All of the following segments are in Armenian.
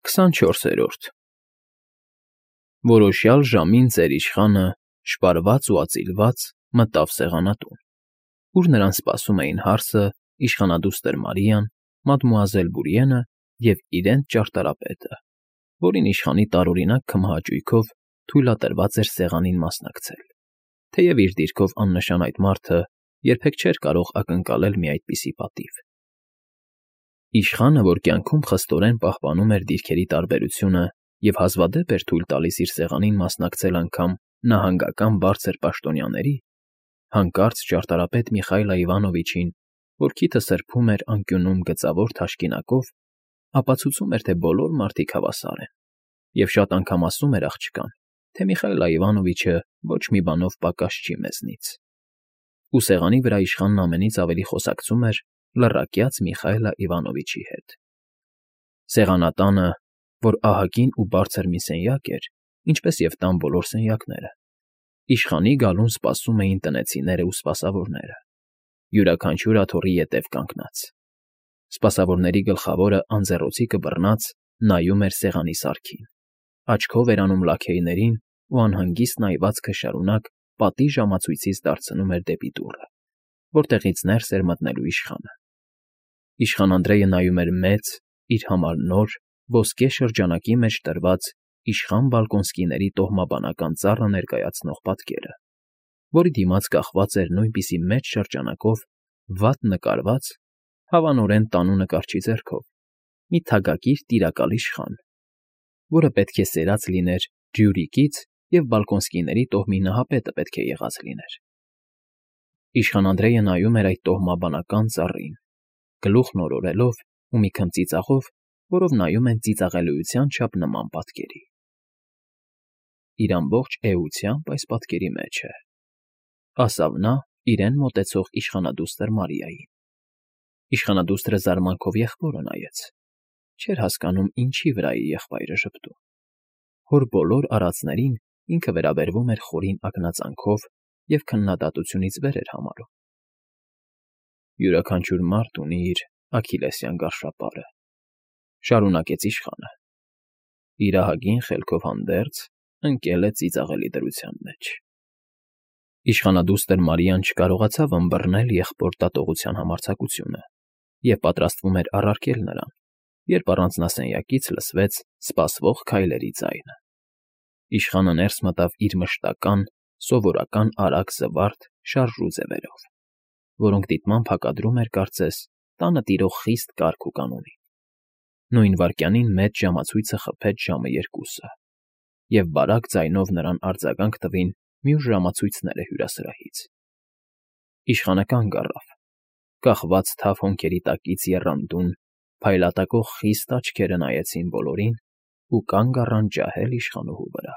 24-րդ Որոշյալ ժամին ծեր իշխանը, շպարված ու ածիլված, մտավ սեղանատուն, ուր նրան սպասում էին հարսը, իշխանադուստր Մարիան, մադմուազել Բուրիենը և իրենց ճարտարապետը, որին իշխանի տարօրինակ քմահաճույքով թույլատրված էր սեղանին մասնակցել, թեև իր դիրքով աննշան այդ մարդը երբեք չէր կարող ակնկալել մի այդպիսի պատիվ։ Իշխանը, որ կյանքում խստորեն պահպանում էր դիրքերի տարբերությունը և հազվադեպ էր թույլ տալիս իր սեղանին մասնակցել անգամ նահանգական բարձր պաշտոնյաների, հանկարծ ճարտարապետ Միխայիլ Այվանովիչին, որ քիթը սրբում էր անկյունում գծավոր թաշկինակով, ապացուցում էր, թե բոլոր մարդիկ հավասար են, և շատ անգամ ասում էր աղջկան, թե Միխայիլ Այվանովիչը ոչ մի բանով պակաս չի մեզնից։ Ու սեղանի վրա իշխանն ամենից ավելի խոսակցում էր լռակյաց Միխայիլ Իվանովիչի հետ։ Սեղանատանը, որ ահագին ու բարձր մի սենյակ էր, ինչպես և տան բոլոր սենյակները, իշխանի գալուն սպասում էին տնեցիներն ու սպասավորները, յուրաքանչյուր աթոռի ետև կանգնած։ Սպասավորների գլխավորը անձեռոցիկը բռնած նայում էր սեղանի սարքին, աչքով էր անում լաքեյներին ու անհանգիստ նայվածքը շարունակ պատի ժամացույցից դարձնում էր դեպի դուռը, որտեղից ներս էր մտնելու իշխանը։ Իշխան Անդրեյը նայում էր մեծ, իր համար նոր, ոսկե շրջանակի մեջ տրված իշխան Բալկոնսկիների տոհմաբանական ծառը ներկայացնող պատկերը, որի դիմաց կախված էր նույնպիսի մեծ շրջանակով վատ նկարված, հավանորեն տանու նկարչի ձեռքով, մի թագակիր տիրակալ իշխան, որը պետք է սերած լիներ Ռյուրիկից և Բալկոնսկիների տոհմի նահապետը պետք է եղած լիներ։ Իշխան Անդրեյը նայում էր այդ տոհմաբանական ծառին, գլուխն օրորելով ու մի քիչ ծիծաղով, որով նայում են ծիծաղելիության չափ նման պատկերի։ Իր ամբողջ էությամբ այս պատկերի մեջ է, ասավ նա իրեն մոտեցող իշխանադուստր Մարիային։ Իշխանադուստրը զարմանքով եղբորը նայեց, չէր հասկանում ինչի վրա իր եղբայրը ժպտում։ Հոր բոլոր արածներին ինքը վերաբերվում էր խորին ակնածանքով և քննադատությունից վեր էր համարում։ Յուրաքանչյուր մարդ ունի իր աքիլեսյան գարշապարը, շարունակեց իշխանը։ Իր ահագին խելքով հանդերձ ընկել է ծիծաղելի դրության մեջ։ Իշխանադուստր Մարիան չկարողացավ ըմբռնել եղբոր դատողության համարձակությունը և պատրաստվում էր առարկել նրան, երբ առանձնասենյակից լսվեց սպասվող քայլերի ձայնը։ Իշխանը ներս մտավ իր մշտական, սովորական արագ զվարթ շարժու ձևերով, որոնք դիտմամբ հակադրում էր, կարծես, տանը տիրող խիստ կարգ ու կանոնին։ Նույն վայրկյանին մեծ ժամացույցը խփեց ժամը 2-ը, և բարակ ձայնով նրան արձագանք տվին մյուս ժամացույցները հյուրասրահից։ Իշխանը կանգ առավ, կախված թավ հոնքերի տակից եռանդուն, փայլատակող խիստ աչքերը նայեցին բոլորին ու կանգ առան ջահել իշխանուհու վրա։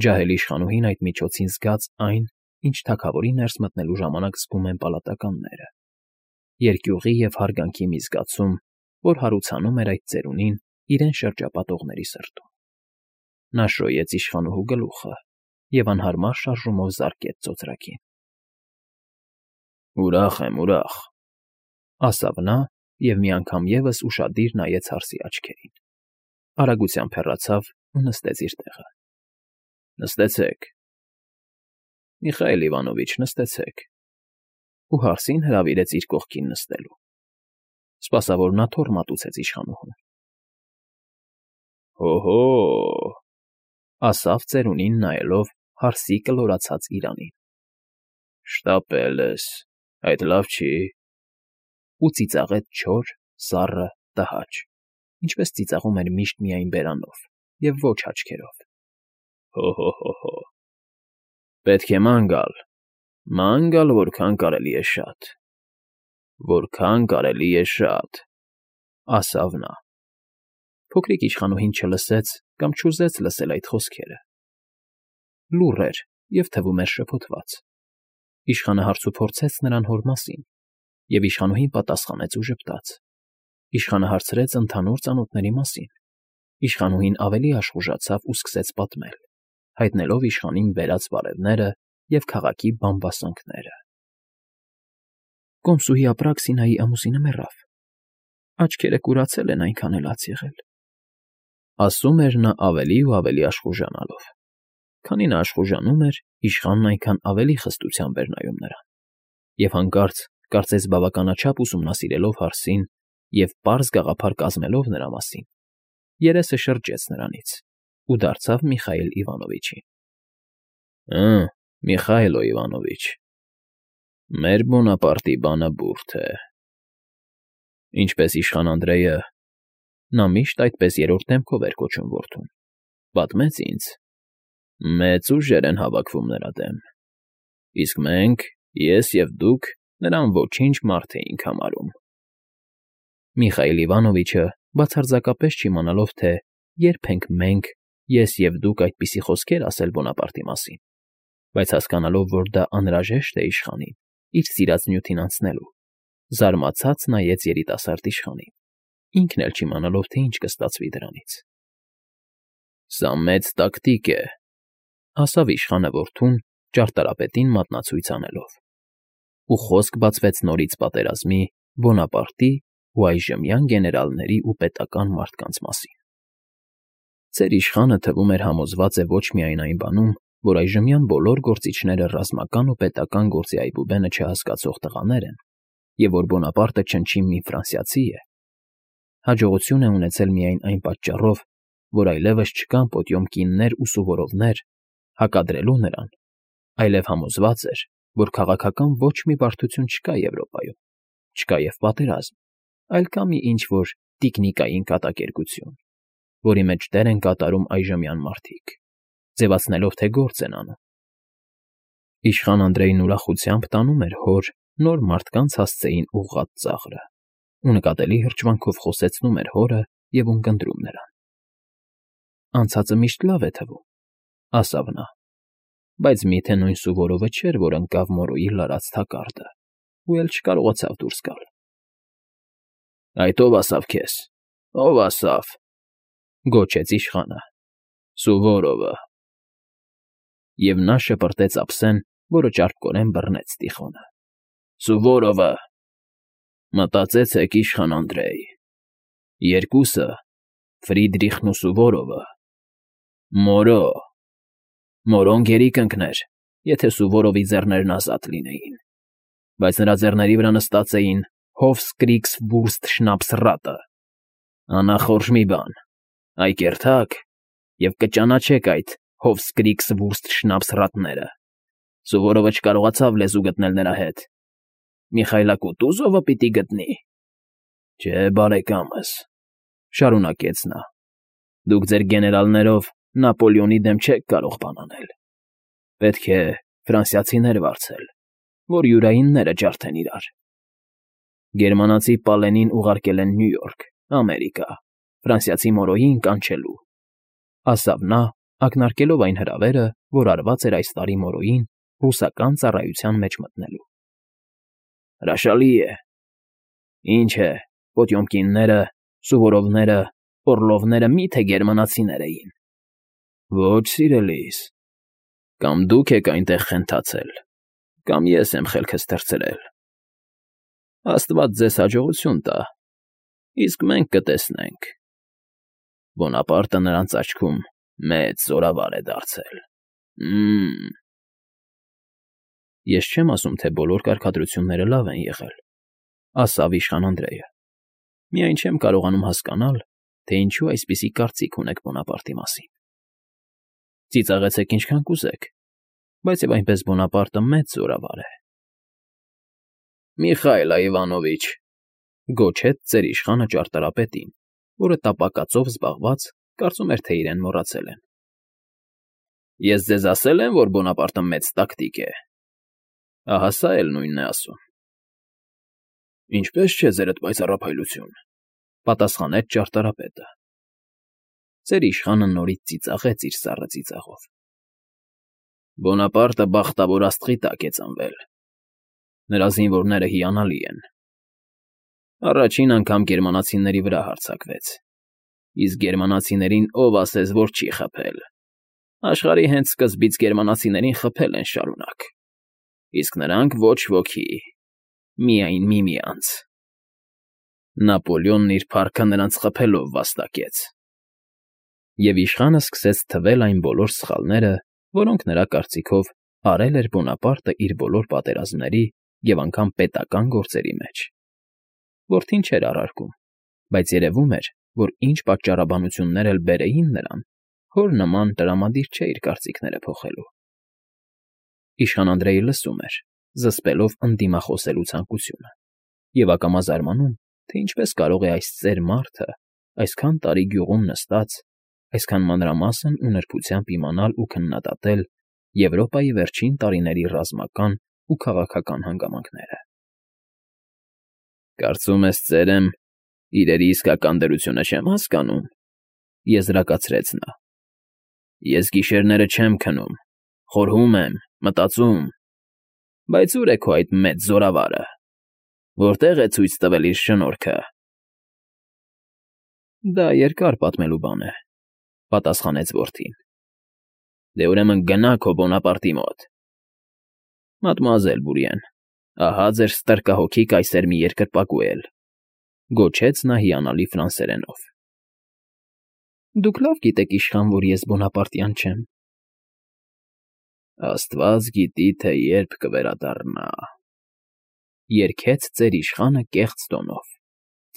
Ջահել իշխանուհին այդ միջոցին զգաց այն, ինչ թագավորի ներս մտնելու ժամանակ զգում են պալատականները, երկյուղի և հարգանքի մի զգացում, որ հարուցանում էր այդ ծերունին իրեն շրջապատողների սրտում։ Նա շոյեց իշխանուհու գլուխը և անհարմար շարժումով զարկեց ծոծրակին։ Ուրախ եմ, ասավ նա և մի անգամ ևս ուշադիր նայեց հարսի աչքերին, արագությամբ հեռացավ ու նստեց իր տեղը։ Նստեցեք, Միխայիլ Իվանովիչ, նստեցեք, ու հարսին հրավիրեց իր կողքին նստելու։ Սպասավորն աթոռ մատուցեց իշխանուհուն։ Հո՜հո՜, ասավ ծերունին նայելով հարսի կլորացած իրանին։ Շտապել ես, այդ լավ չի։ Ու ծիծաղեց չոր, սառը, տհաճ, ինչպես ծիծաղում էր միշտ միայն բերանով և ոչ աչքերով։ Հո՜հո՜, պետք է ման գալ, որքան կարելի է շատ, ասավ նա։ Փոքրիկ իշխանուհին չլսեց կամ չուզեց լսել այդ խոսքերը։ Լուռ էր և թվում էր շփոթված։ Իշխանը հարցուփորձեց նրան հոր մասին, և իշխանուհին պատասխանեց ու ժպտաց։ Իշխանը հարցրեց ընդհանուր ծանոթների մասին։ Իշխանուհին ավելի աշխուժացավ ու սկսեց պատմել, հայտնելով իշխանին բերած բարևները և քաղաքի բամբասանքները։ Կոմսուհի Ապրաքսինայի ամուսինը մեռավ։ Աչքերը կուրացել են, այնքան էլ աց եղել։ Ասում էր նա ավելի ու ավելի աշխուժանալով։ Քանի նա աշխուժանում էր, իշխանն այնքան ավելի խստությամբ էր նայում նրան։ Եվ հանկարծ, կարծես բավականաչափ ուսումնասիրելով հարցին և պարզ գաղափար կազմելով նրա մասին, երեսը շրջեց նրանից ու դարձավ Միխայիլ Իվանովիչին։ ֊ Միխայիլ Իվանովիչ, մեր Բոնապարտի բանը բուրդ է։ Ինչպես իշխան Անդրեյը (նա միշտ այդպես երրորդ դեմքով էր կոչում որդուն) պատմեց ինձ, մեծ ուժեր են հավաքվում նրա դեմ, իսկ մենք, ես և դուք, նրան ոչինչ մարդ էինք համարում։ Միխայիլ Իվանովիչը, բացարձակապես չիմանալով, թե երբ ենք մենք, ես և դուք այդպիսի խոսքեր ասել Բոնապարտի մասին, բայց հասկանալով, որ դա անհրաժեշտ է իշխանին, իր սիրած նյութին անցնելու, զարմացած նայեց երիտասարդ իշխանին, ինքն էլ չիմանալով, թե ինչ կստացվի դրանից։ ֊ Սա մեծ տակտիկ է,֊ ասավ իշխանը որդուն, ճարտարապետին մատնացույց անելով, ու խոսք բացվեց նորից պատերազմի, Բոնապարտի ու այժմյան գեներալների ու պետական մարդկանց մասին։ Ձեր իշխանը, թվում էր, համոզված է ոչ միայն այն բանում, որ այժմյան բոլոր գործիչները ռազմական ու պետական գործի այբուբենը չհասկացող տղաներ են, և որ Բոնապարտը չնչին մի ֆրանսիացի է, հաջողություն է ունեցել միայն այն պատճառով, որ այլևս չկան Պոտյոմկիններ ու Սուվորովներ հակադրելու նրան, այլև համոզված էր, որ քաղաքական ոչ մի բարդություն չկա Եվրոպայում, չկա և պատերազմ, այլ կա մի ինչ֊որ տիկնիկային կատակերգություն, որի մեջ դեր են կատարում այժմյան մարդիկ, ձևացնելով, թե գործ են անում։ Իշխան Անդրեյն ուրախությամբ տանում էր հոր նոր մարդկանց հասցեին ուղղած ծաղրը ու նկատելի հրճվանքով խոսեցնում էր հորը և ունկնդրում նրան։ «Անցածը միշտ լավ է թվում,֊ ասավ նա,֊ բայց միթե նույն Սուվորովը չէր, որ ընկավ Մորոյի լարած թակարդը ու էլ չկարողացավ դուրս գալ»։ «Այդ ո՞վ ասավ քեզ, ո՞վ ասավ,֊ գոչեց իշխանը,֊ Սուվորովը…» Եվ նա շպրտեց ափսեն, որը ճարպկորեն բռնեց Տիխոնը։ «Սուվորովը… Մտածեցեք, իշխան Անդրեյ, երկուսը, Ֆրիդրիխն ու Սուվորովը… Մորո… Մորոն գերի կընկներ, եթե Սուվորովի ձեռներն ազատ լինեին, բայց նրա ձեռների վրա նստած էին Հոֆսկրիգսվուրստշնապսրատը… Անախորժ մի բան, այ կերթակ, և կճանաչեք այդ Հոֆսկրիգսվուրստշնապսրատները… Սուվորովը չկարողացավ լեզու գտնել նրա հետ… Միխայլա Կուտուզովը պիտի գտնի… Չէ, բարեկամս,֊ շարունակեց նա,֊ դուք ձեր գեներալներով Նապոլեոնի դեմ չեք կարող բան անել… Պետք է ֆրանսիացիներ վարձել, որ յուրայինները ջարդեն իրար… Գերմանացի Պալենին ուղարկել են Նյու Յորք, Ամերիկա, ֆրանսիացի Մորոյին կանչելու…֊ ասավ նա, ակնարկելով այն հրավերը, որ արված էր այս տարի Մորոյին ռուսական ծառայության մեջ մտնելու։ Հրաշալի է… Ինչ է, Պոտյոմկինները, Սուվորովները, Օռլովները մի՞թե գերմանացիներ էին… Ոչ, սիրելիս, կամ դուք եք այնտեղ խենթացել, կամ ես եմ խելքս թռցրել… Աստված ձեզ հաջողություն տա, իսկ մենք կտեսնենք… Բոնապարտը նրանց աչքում մեծ զորավար է դարձել… Ես չեմ ասում, թե բոլոր կարգադրությունները լավ են եղել,֊ ասավ իշխան Անդրեյը, միայն չեմ կարողանում հասկանալ, թե ինչու այսպիսի կարծիք ունեք Բոնապարտի մասին… Ծիծաղեցեք ինչքան կուզեք, բայց և այնպես Բոնապարտը մեծ զորավար է… Միխայիլ Իվանովիչ,֊ գոչեց ձեր իշխանը ճարտարապետին, որը տապակածով զբաղված, կարծում էր, թե իրեն մոռացել են։ Ես ձեզ ասել եմ, որ Բոնապարտը մեծ տակտիկ է… Ահա սա էլ նույնն է ասում։ Ինչպե՞ս չէ, ձերդ պայծառափայլություն,֊ պատասխանեց ճարտարապետը։ Ձեր իշխանը նորից ծիծաղեց իր սառը ծիծաղով։ Բոնապարտը բախտավոր աստղի տակ է ծնվել… Նրա զինվորները հիանալի են… Առաջին անգամ գերմանացիների վրա հարձակվեց, իսկ գերմանացիներին ով ասեց, որ չի խփել… Աշխարհի հենց սկզբից գերմանացիներին խփել են շարունակ, իսկ նրանք ոչ ոքի… Միայն միմյանց… Նապոլեոնն իր փառքը նրանց խփելով վաստակեց… Եվ իշխանը սկսեց թվել այն բոլոր սխալները, որոնք նրա կարծիքով արել էր Բոնապարտը իր բոլոր պատերազմների և անգամ պետական գործերի մեջ։ Որդին չէր առարկում, բայց երևում էր, որ ինչ պատճառաբանություններ էլ բերեին նրան, հոր նման տրամադիր չէ իր կարծիքները փոխելու։ Իշխան Անդրեյը լսում էր, զսպելով ընդդիմախոսելու ցանկությունը, և ակամա զարմանում, թե ինչպես կարող է այս ծեր մարդը այսքան տարի գյուղում նստած, այսքան մանրամասն ու նրբությամբ իմանալ ու քննադատել Եվրոպայի վերջին տարիների ռազմական ու քաղաքական հանգամանքները։ «Կարծում ես, ծերեմ, իրերի իսկական դրությունը չեմ հասկանում,֊ եզրակացրեց նա։֊ Ես գիշերները չեմ քնում, խորհում եմ, մտածում, բայց ո՞ւր է քո այդ մեծ զորավարը, որտե՞ղ է ցույց տվել իր շնորհքը»։ «Դա երկար պատմելու բան է,֊ պատասխանեց որդին։ Դե ուրեմն գնա քո Բոնապարտի մոտ։ Մադմուազել Բուրիեն, ահա ձեր ստրկահոգի կայսեր մի երկրպագու էլ,֊ գոչեց նա հիանալի ֆրանսերենով։ Դուք լավ գիտեք, իշխան, որ ես բոնապարտյան չեմ։ Աստված գիտի, թե երբ կվերադառնա,֊ երգեց ծեր իշխանը կեղծ տոնով,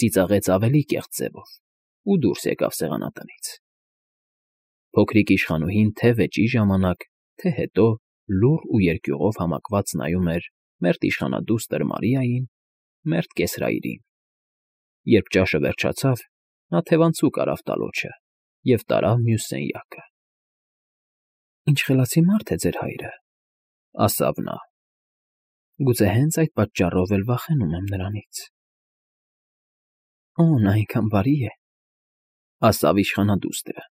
ծիծաղեց ավելի կեղծ ձևով ու դուրս եկավ սեղանատնից։ Փոքրիկ իշխանուհին թե՛ վեճի ժամանակ, թե՛ հետո լուռ ու երկյուղով համակված նայում էր մերթ իշխանադուստր Մարիային, մերթ կեսրայրին։ Երբ ճաշը վերջացավ, նա թևանցուկ արավ տալոջը և տարավ մյուս սենյակը։ «Ինչ խելացի մարդ է ձեր հայրը,֊ ասավ նա։֊ Գուցե հենց այդ պատճառով էլ վախենում եմ նրանից»։ «Օ, նա այնքան բարի է,֊ ասավ իշխանադուստրը։